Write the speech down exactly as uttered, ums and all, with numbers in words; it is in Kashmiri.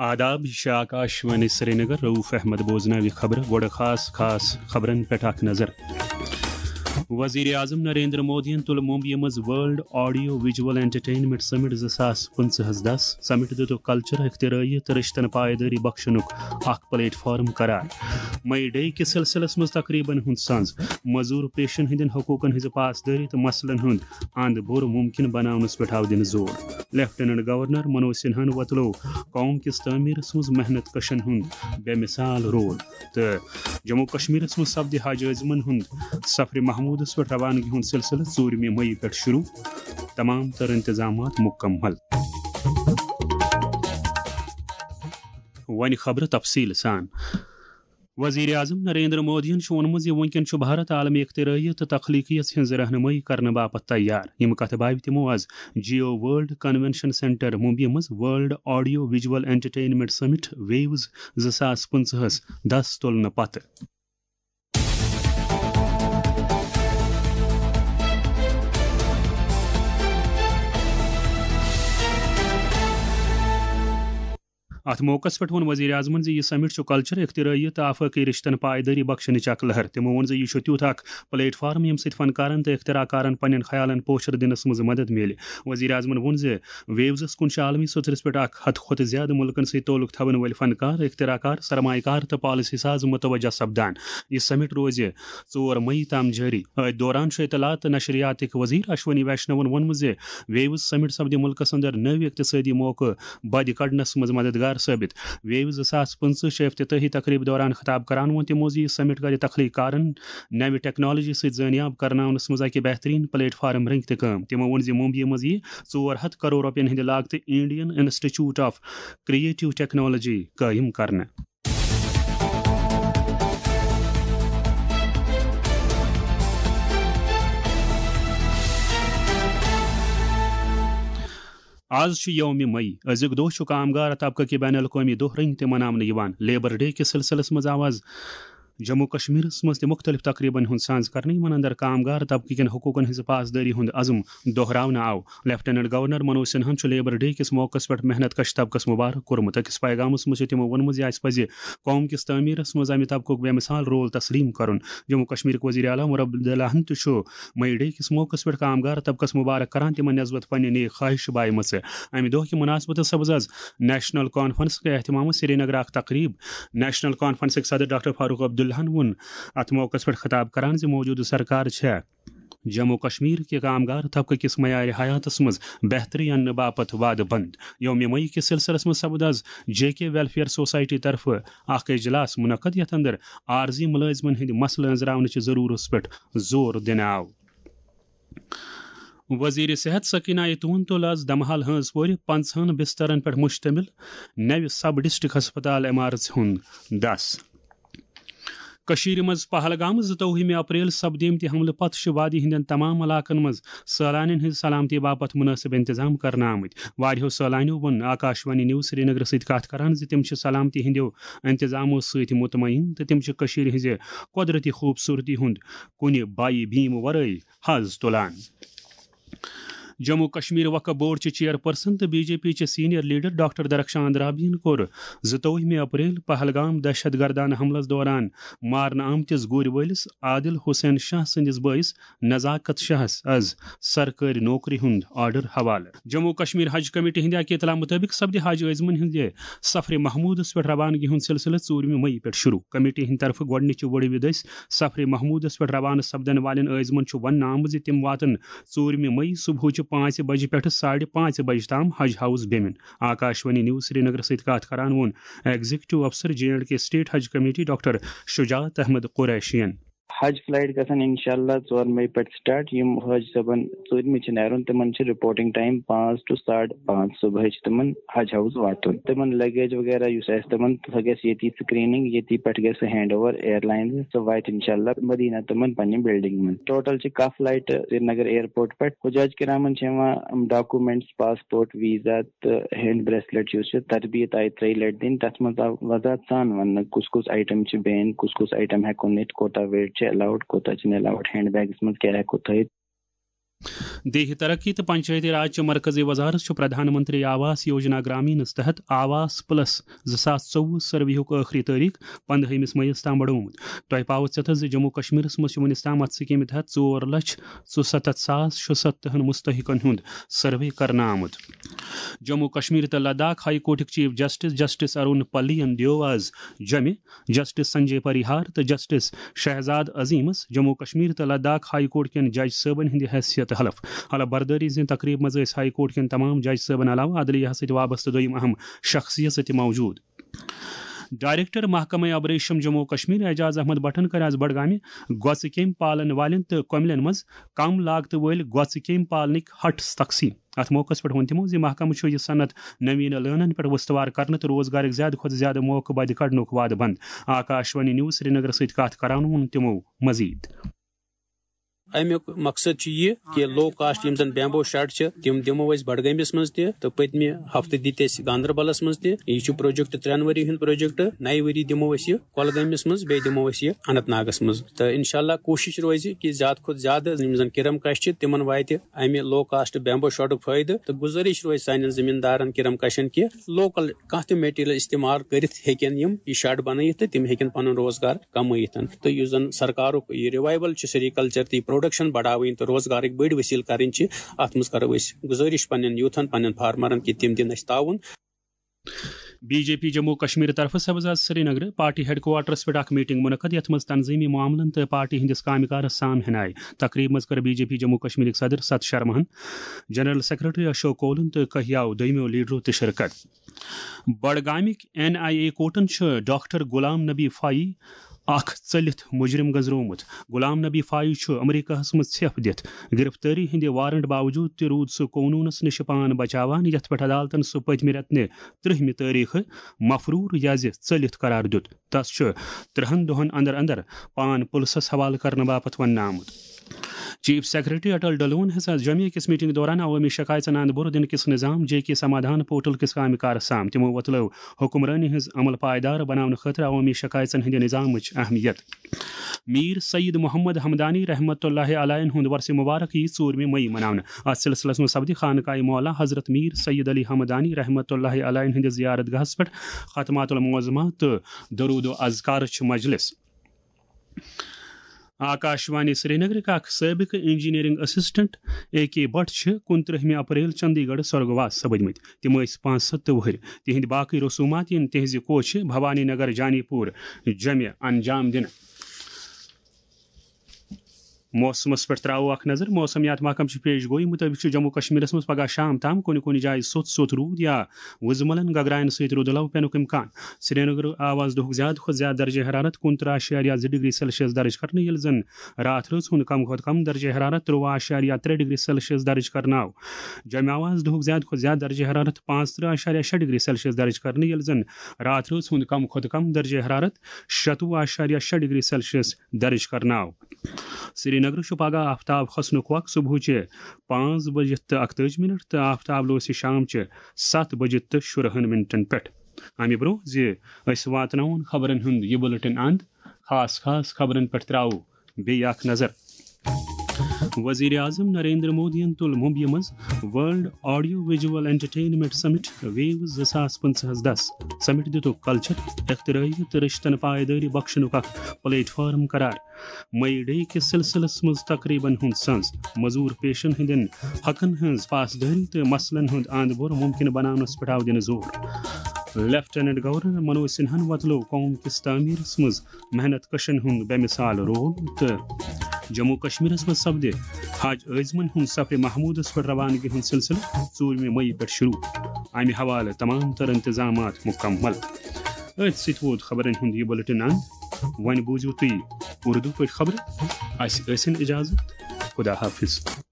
آداب، یہِ چھِ آکاش وانی سرینگر۔ رؤف احمد بوزناوِ خبرٕ۔ گۄڈٕ خاص خاص خبرن پٮ۪ٹھ اکھ نظر۔ وزیر اعظم نریندر مودیَن تُل ممبیہِ منٛز ورلڈ آڈیو ویجول انٹرٹینمنٹ سمٹ زٕ ساس پٕنٛژٕہَس دَس۔ سمٹ دِتُکھ کلچر، اختراعیت تہٕ رشتن پائیدٲری بخشنُک اکھ پلیٹ فارم قرار۔ مئی ڈے کِس سلسلس منٛز تقریبن ہُنٛد سنز، مزور پیشن ہٕنٛدٮ۪ن حقوقن ہٕنٛزِ پاسدٲری تہٕ مسلن ہُنٛد اند بوٚر ممکن بناونس پٮ۪ٹھ آو دِنہٕ زور۔ لیفٹیننٹ گورنر منوج سنہاہن وۄتلوو قوم کِس تعمیرس منٛز محنت کشن ہُنٛد بے مثال رول۔ تہٕ جموں کشمیرس منٛز سپدِ حج عٲزمن ہُنٛد سفرِ محمودس پٮ۪ٹھ روانگی ہُنٛد سلسلہٕ ژوٗرمہِ مئی پٮ۪ٹھ شروع۔ تمام تر انتظامات مکمل۔ وۄنۍ خبرٕ تفصیٖل سان۔ وزیر اعظم نریندر مودیَن چھُ ووٚنمُت زِ وُنکٮ۪ن چھُ بھارت عالمی اختراعیت تہٕ تخلیقیت ہٕنٛز رہنمٲیی کرنہٕ باپتھ تیار۔ یِم کتھٕ باوِ تِمو از جیو ورلڈ کنونشن سینٹر ممبیہِ منٛز ورلڈ آڈیو ویجول انٹرٹینمنٹ سمٹ ویوز زٕ ساس پٕنٛژٕہَس دَس تُلنہٕ پتہٕ۔ اتھ موقعس پٮ۪ٹھ ووٚن وزیر اعظمن زِ یہِ سمٹ چھُ کلچر، اختراعیت تہٕ آفاقی رشتن پائیدٲری بخشنٕچ اکھ لہر۔ تِمو ووٚن زِ یہِ چھُ تیُتھ اکھ پلیٹ فارم، ییٚمہِ سۭتۍ فنکارن تہٕ اختراع کارن پننٮ۪ن خیالن پوچھر دِنس منٛز مدد میلہِ۔ وزیر اعظمن ووٚن زِ ویوزس کُن چھِ عالمی سطحس پٮ۪ٹھ اکھ ہتہٕ کھۄتہٕ زیادٕ مُلکن سۭتۍ تعلق تھاوَن وٲلۍ فنکار، اختراع کار، سرمایہ کار تہٕ پالیسی ساز متوجہ سپدان۔ یہِ سمٹ روزِ ژور مئی تام جٲری۔ أتھۍ دوران چھُ اطلاعات تہٕ نشریاتٕکۍ وزیر اشونی ویشنون ووٚنمُت زِ ویوز سمٹ سپدِ مُلکس اندر نٔوۍ اقتصٲدی موقعہٕ بدِ کڑنس منٛز مددگار ثٲبت۔ ویوز زٕ ساس پٕنٛژٕہ چہِ افتتاحی تقریبہِ دوران خطاب کران ووٚن تِمو زِ یہِ سمٹ کرِ تخلیق کارن نوِ ٹیکنالوجی سۭتۍ زٲنیاب کرناونس منٛز اکھ بہترین پلیٹ فارم رنگہِ تہِ کٲم۔ تِمو ووٚن زِ ممبیہِ منٛز یِیہِ ژور ہتھ کرور رۄپین ہٕنٛدِ لاگتہٕ Indian institute of creative technology قٲیِم کرنہٕ۔ آز چھُ یوم مئی۔ أزیُک دۄہ چھُ کامگار طبقہٕ کہِ بین الاقوٲمی دۄہ رٔنگۍ تہِ مناونہٕ یِوان۔ لیبر ڈے کِس سلسلس منٛز آو آز جموں کشمیرس منٛز تہِ مُختٔلِف تقریبن ہُنٛد سانز کرنہٕ، یِمن اندر کامگار طبقہٕ کٮ۪ن حقوقن ہٕنٛزِ پاسدٲری ہُنٛد عزم دۄہراونہٕ آو۔ لیفٹیننٹ گورنر منوج سنہاہن چھُ لیبر ڈے کِس موقعس پٮ۪ٹھ محنت کش طبقس مبارک کوٚرمُت۔ أکِس پیغامس منٛز چھُ تِمو ووٚنمُت زِ اَسہِ پَزِ قوم کِس تعمیٖرس منٛز اَمہِ طبقُک بے مثال رول تسلیٖم کرُن۔ جموں کشمیرٕکۍ وزیر اعلیٰ عمر عبداللہ ہن تہِ چھُ مئی ڈے کِس موقعس پٮ۪ٹھ کامگار طبقس مبارک کران، تِمن نسبت پننہِ نیک خواہش بایمژٕ۔ اَمہِ دۄہ کہِ مناسبتس سپٕز آز نیشنل کانفرنس کہِ اہتمامس سرینگر اکھ تقریب۔ نیشنل کانفرنسٕکۍ صدر ڈاکٹر فاروق عبداللہن ووٚن اتھ موقعس پٮ۪ٹھ خطاب کران زِ موجودٕ سرکار چھےٚ جموں کشمیر کہِ کامگار طبقہٕ کِس معیار حیاتس منٛز بہتری اننہٕ باپتھ وعدٕ بنٛد۔ یوم مئی کِس سلسلس منٛز سپُد آز جے کے ویلفیئر سوسائٹی طرفہٕ اکھ اجلاس منعقد، یتھ اندر عارضی ملٲزمن ہٕنٛدۍ مسلہٕ أنٛزراونٕچ ضرورتس پٮ۪ٹھ زور دِنہٕ آو۔ وزیر صحت سکینہ آیتون تُل آز دمحال ہٲنز پورِ پنژہن بسترن پٮ۪ٹھ مشتمل نوِ سب ڈسٹرکٹ ہسپتال عمارژ ہُنٛد دس۔ کٔشیٖرِ منٛز پہلگام، زٕتووُہمہِ اپریل سپدیمتہِ حملہٕ پتہٕ چھِ وادی ہٕنٛدٮ۪ن تمام علاقن منٛز سٲلانٮ۪ن ہٕنٛزِ سلامتی باپتھ مُنٲسِب انتظام کرنہٕ آمٕتۍ۔ واریاہو سٲلانیو ووٚن آکاشوانی نیوز سرینگرس سۭتۍ کتھ کران زِ تِم چھِ سلامتی ہٕنٛدیو انتظامو سۭتۍ مطمئن تہٕ تِم چھِ کٔشیٖرِ ہٕنٛزِ قۄدرتی خوٗبصوٗرتی ہُنٛد کُنہِ بایہِ بیٖم ورٲے حظ تُلان۔ جموں کشمیر وقف بورڈ چہِ چیئر پرسن تہٕ بی جے پی چہِ سینئر لیڈر ڈاکٹر درخشان رابین کوٚر زٕتووُہمہِ اپریل پہلگام دہشت گردانہ حملس دوران مارنہٕ آمتِس گُرۍ وٲلِس عادل حسین شاہ سٕنٛدِس بٲیِس نزاکت شاہس از سرکٲرۍ نوکری ہُنٛد آرڈر حوالہٕ۔ جموں کشمیر حج کمیٹی ہٕنٛدِ اکہِ اطلاع مُطٲبِق سپدِ حج عٲزمن ہٕنٛدِ سفرِ محمودس پٮ۪ٹھ روانگی ہُنٛد سلسلہٕ ژوٗرمہِ مئی پٮ۪ٹھ شروع۔ کمیٹی ہٕنٛدِ طرفہٕ گۄڈٕنِچہِ وُڈٕ وِدِ دٔسۍ سفرِ محمودس پٮ۪ٹھ روانہٕ سپدن والٮ۪ن عٲزمن چھُ وننہٕ آمُت زِ تِم واتن ژوٗرمہِ مئی صبحٕچہِ پانٛژِ بجہِ پٮ۪ٹھٕ ساڑِ پانٛژِ بجہِ تام حج ہاؤس بیمِن۔ آکاشوانی نیوز سرینگرس سۭتۍ کتھ کران ووٚن ایگزیکٹو افسر جے اینڈ کے اسٹیٹ حج کمیٹی ڈاکٹر شجاعت احمد قریشین۔ حج فلائٹ گژھن انشاءاللہ ژور مئی پٮ۪ٹھ سٹارٹ۔ یِم حٲج صٲبن ژوٗرمہِ چھِ نیرُن، تِمن چھِ رپورٹنگ ٹائم پانٛژھ to ساڑٕ پانٛژھ صبحٲے چھِ تِمن حج ہاؤس واتُن۔ تِمن لگیج وغیرہ یُس آسہِ تِمن، سۄ گژھِ ییٚتی سکریننگ، ییٚتی پٮ۪ٹھ گژھِ سُہ ہینڈ اوور ایئر لائنز، سۄ واتہِ انشاءاللہ مدینہ تِمن پننہِ بلڈنگ منٛز۔ ٹوٹل چھِ کاہ فلائٹ سرینگر ایئرپورٹ پٮ۪ٹھ۔ حجاج کرامن چھِ یِوان ڈاکومنٹس، پاسپورٹ، ویزا تہٕ ہینڈ بریسلیٹ یُس چھُ تربیت آیہِ ترٛیہِ لٹہِ دِنہٕ۔ تتھ منٛز آو وضاحت سان وننہٕ کُس کُس آیٹم چھِ بین، کُس کُس آیٹم ہٮ۪کو نِتھ، کوتاہ ویٹ چھِ الاؤڈ، کوتاہ چھِنہٕ الاؤڈ، ہینڈ بیگس منٛز کیٛاہ ہٮ۪کو تھٲیِتھ۔ دیہی ترقی تہٕ پنچایتی راج چہِ مرکزی وزارت چھُ پردھان منتری آواس یوجنا گرامینس تحت آواس پلس زٕ ساس ژوٚوُہ سروے ہُک ٲخری تٲریخ پندہٲیمِس مئیس تام بڑومُت۔ تۄہہِ پاوٕ ژٮ۪تس زِ جموں کشمیرس منٛز چھُ وُنیُس تام اتھ سکیمہِ تحت ژور لچھ ژُستتھ ساس شُستتھن مستحقن ہُنٛد سروے کرنہٕ آمُت۔ جموں کشمیر تہٕ لداخ ہائی کورٹٕکۍ چیف جسٹس جسٹس ارون پلیَن دیو آز جمہِ جسٹس سنجے پریہار تہٕ جسٹس شہزاد عظیمس جموں کشمیر تہٕ لداخ ہائی کورٹ کٮ۪ن جج صٲبن ہٕنٛدِ حیثیت حلف۔ حلف بردٲری ہٕنٛزِ تقریبہِ منٛز ٲسۍ ہائی کورٹ کٮ۪ن تمام جج صٲبن علاوٕ عدلیہس سۭتۍ وابستہٕ دوٚیِم اہم شخصیژٕ تہِ موجود۔ ڈائریکٹر محکمہ آبریشم جموں کشمیر اعجاز احمد بٹن کٔر آز بڈگامہِ گۄژٕ کیمۍ پالن والٮ۪ن تہٕ کۄملٮ۪ن منٛز کم لاگتہٕ وٲلۍ گۄژٕ کیمۍ پالنٕکۍ ہٹس تقسیٖم۔ اتھ موقعس پٮ۪ٹھ ووٚن تِمو زِ محکمہٕ چھُ یہِ صنعت نوین لٲنن پٮ۪ٹھ استوار کرنہٕ تہٕ روزگارٕکۍ زیادٕ کھۄتہٕ زیادٕ موقعہٕ بدِ کڑنُک وعدٕ بند۔ آکاشوانی نیوز سرینگرس سۭتۍ کتھ کران ووٚن تِمو مزید۔ اَمیُک مقصد چھُ یہِ کہِ لو کاسٹ یِم زَن بیمبو شڈ چھِ، تِم دِمو أسۍ بڈگٲمِس منٛز تہِ تہٕ پٔتمہِ ہفتہٕ دِتۍ اَسہِ گاندربلس منٛز تہِ۔ یہِ چھُ پروجیکٹ ترٛٮ۪ن ؤری ہُنٛد پروجیکٹ۔ نَیہِ ؤری دِمو أسۍ یہِ کۄلگٲمِس منٛز، بیٚیہِ دِمو أسۍ یہِ اننت ناگس منٛز۔ تہٕ انشاءاللہ کوٗشِش روزِ کہِ زیادٕ کھۄتہٕ زیادٕ یِم زَن کِرم کش چھِ، تِمن واتہِ اَمہِ لو کاسٹ بیمبو شڈُک فٲیدٕ۔ تہٕ گُزٲرِش روزِ سانٮ۪ن زٔمیٖندارن کِرم کشن کہِ لوکل کانٛہہ تہِ میٹیریل استعمال کٔرِتھ ہیٚکن یِم یہِ شڈ بنٲیِتھ تہٕ تِم ہیٚکن پنُن روزگار کمٲیِتھ۔ تہٕ یُس زن سرکارُک یہِ ریوائیول چھُ سیریکلچر تہٕ یہِ پروڈکشن بڑاوٕنۍ تہٕ روزگارٕکۍ بٔڑۍ وسیلہٕ کرٕنۍ چھِ، اتھ منٛز کرو أسۍ گُزٲرِش پننٮ۪ن یوٗتھن، پننٮ۪ن فارمرن کہِ تِم دِن اسہِ تعاوُن۔ B J P Jammu Kashmir طرفہٕ سبز آز سرینگر پارٹی ہیڈ کوارٹرس پٮ۪ٹھ اکھ میٹنگ منعقد، یتھ منٛز تنظیمی معاملن تہٕ پارٹی ہٕنٛدِس کامہِ کارس سام ہن آیہِ۔ تقریب منٛز کٔر بی جے پی جموں کشمیرٕکۍ صدر ست شرماہن، جنرل سیکرٹری اشوک کولن تہٕ کہیاو دویمو لیڈرو تہِ شرکت۔ بڈگامٕکۍ این آئی اے کورٹن چھُ ڈاکٹر غلام نبی فائی اکھ ژٔلِتھ مجرم گنزرومُت۔ غلام نبی فائی چھُ امریکہس منٛز ژھٮ۪پھ دِتھ گرفتٲری ہٕنٛدِ وارنٹ باوجود تہِ روٗد سُہ قونوٗنس نِش پان بچاوان، یتھ پٮ۪ٹھ عدالتن سُہ پٔتمہِ رٮ۪تہٕ نہِ ترٛہمہِ تٲریخہٕ مفرور یا زِ ژٔلِتھ قرار دیُت۔ تس چھُ ترٛہن دۄہن اندر اندر پان پُلسس حوالہٕ کرنہٕ باپتھ وننہٕ آمُت۔ چیف سیکرٹری اٹل ڈلون ہسا جمعہ کِس میٹنگ دوران عوٲمی شکایژن اند بُر دِنہٕ کِس نظام جے کے سمادھان پورٹل کِس کامہِ کارس سام۔ تِمو وۄتلٲو حکمرٲنی ہٕنٛز عمل پائیدار بناونہٕ خٲطرٕ عوٲمی شکایژن ہٕنٛدِ نظامٕچ اہمیت۔ میر سید محمد حمدانی رحمت اللہ علیہ ہُنٛد ورثہ مبارک یی ژوٗرمہِ مئی مناونہٕ۔ اتھ سلسلس منٛز سپدِ خانقاہ مولا حضرت میر سید علی حمدانی رحمت اللہ علیہ ہٕنٛدِس زیارت گاہس پٮ۪ٹھ ختمات المعظمہ تہٕ درود و اذکارٕچ مجلس۔ آکاشوانی سرینگرٕکۍ اکھ سٲبقہٕ انجینئرنگ اسسٹنٹ اے کے بٹ چھِ کُنترٛہمہِ اپریل چندی گڑھ سورگواس سپدمٕتۍ۔ تِم ٲسۍ پانٛژھ سَتھ وُہٕرۍ۔ تِہنٛدۍ باقٕے رسومات یِن تِہنٛزِ کوچھِ بھوانی نگر جانی پور جمعہ انجام دِنہٕ۔ موسمس پٮ۪ٹھ تراوو اکھ نظر۔ موسمیات محکمہٕ چہِ پیش گویی مُطٲبِق چھُ جموں کشمیرس منٛز پگہہ شام تام کُنہِ کُنہِ جایہِ سوٚت سوٚت روٗد یا وُزملن گگراین سۭتۍ رُدٕ لو پینُک امکان۔ سرینگر آواز دۄہُک زیادٕ کھۄتہٕ زیادٕ درجہ حرارت کُنترٕہ اعشاریہ زٕ ڈگری سیلسیس درج کرنہٕ، ییٚلہِ زن راتھ رٲژ ہُنٛد کم کھۄتہٕ کم درجہ حرارت ترٛوُہ اعشاریہ ترٛےٚ ڈگری سیلسیس درج کرناو۔ جمعہ آواز دۄہُک زیادٕ کھۄتہٕ زیادٕ درجہ حرارت پانٛژترٕہ اعشاریہ شےٚ ڈگری سیلسیس درج کرنہٕ، ییٚلہِ زن راتھ رٲژ ہُنٛد کم کھۄتہٕ کم درجہ حرارت شَتوُہ اعشاریہ شےٚ ڈگری سیلسیس درج کرناو۔ سرینگر چھُ پگہہ آفتاب کھسنُک وق صبحٕچہِ پانٛژھ بجہِ تہٕ اکتٲجی منٹ تہٕ آفتاب لوسہِ شام چہِ ستھ بجہِ تہٕ شُرہن منٹن پٮ۪ٹھ۔ امہِ برونٛہہ زِ أسۍ واتناوون خبرن ہُنٛد یہِ بُلٹن اند، خاص خاص خبرن پٮ۪ٹھ تراوو بیٚیہِ اکھ نظر۔ وزیر اعظم نریندر مودیَن تُل ممبیہِ منٛز ورلڈ آڈیو ویجول انٹرٹینمنٹ سمٹ ویو زٕ ساس پٕنٛژٕہَس دَس۔ سمٹ دِتُکھ کلچر، اختراعی تہٕ رشتن پائیدٲری بخشنُک اکھ پلیٹ فارم قرار۔ مئی ڈے کِس سلسلس منٛز تقریبن ہُنٛد سنز، مزور پیشن ہٕنٛدٮ۪ن حقن ہٕنٛز پاسدٲری تہٕ مسلن ہُنٛد اند بور ممکن بناونس پٮ۪ٹھ آو دِنہٕ زور۔ لیفٹیننٹ گورنر منوج سنہاہن وۄتلٲو قوم کِس تعمیرس منٛز محنت کشن ہُنٛد بے مثال رول تہٕ جموں کشمیرس منٛز سپدِ حج عازمن ہُنٛد سفر محمودس پٮ۪ٹھ روانگی ہُنٛد سلسلہٕ ژوٗرمہِ مئی پٮ۪ٹھ شروع۔ امہِ حوالہٕ تمام تر انتظامات مکمل۔ أتھۍ سۭتۍ ووت خبرن ہُنٛد یہِ بُلٹن اند۔ وۄنۍ بوٗزِو تُہۍ اردو پٲٹھۍ خبرٕ۔ اسہِ ٲسِن اجازت۔ خدا حافظ۔